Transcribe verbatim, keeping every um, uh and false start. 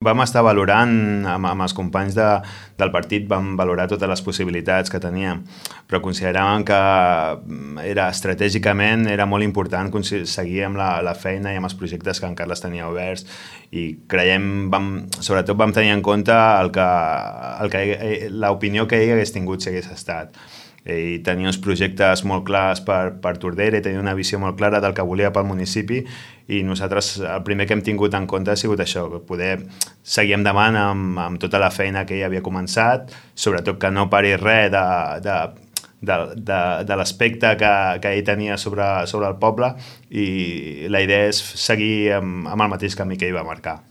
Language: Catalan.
Vam estar valorant, amb, amb els companys de, del partit, vam valorar totes les possibilitats que teníem, però consideràvem que era, estratègicament era molt important seguir amb la, la feina i amb els projectes que en Carles tenia oberts, i creiem, vam, sobretot vam tenir en compte el que, el que, l'opinió que ell hagués tingut si hagués estat. Ell tenia uns projectes molt clars per, per Tordera i tenia una visió molt clara del que volia pel municipi, i nosaltres el primer que hem tingut en compte ha sigut això, poder seguir endavant amb, amb tota la feina que ell havia començat, sobretot que no pari res de, de, de, de, de l'aspecte que, que ell tenia sobre, sobre el poble, i la idea és seguir amb, amb el mateix camí que ell va marcar.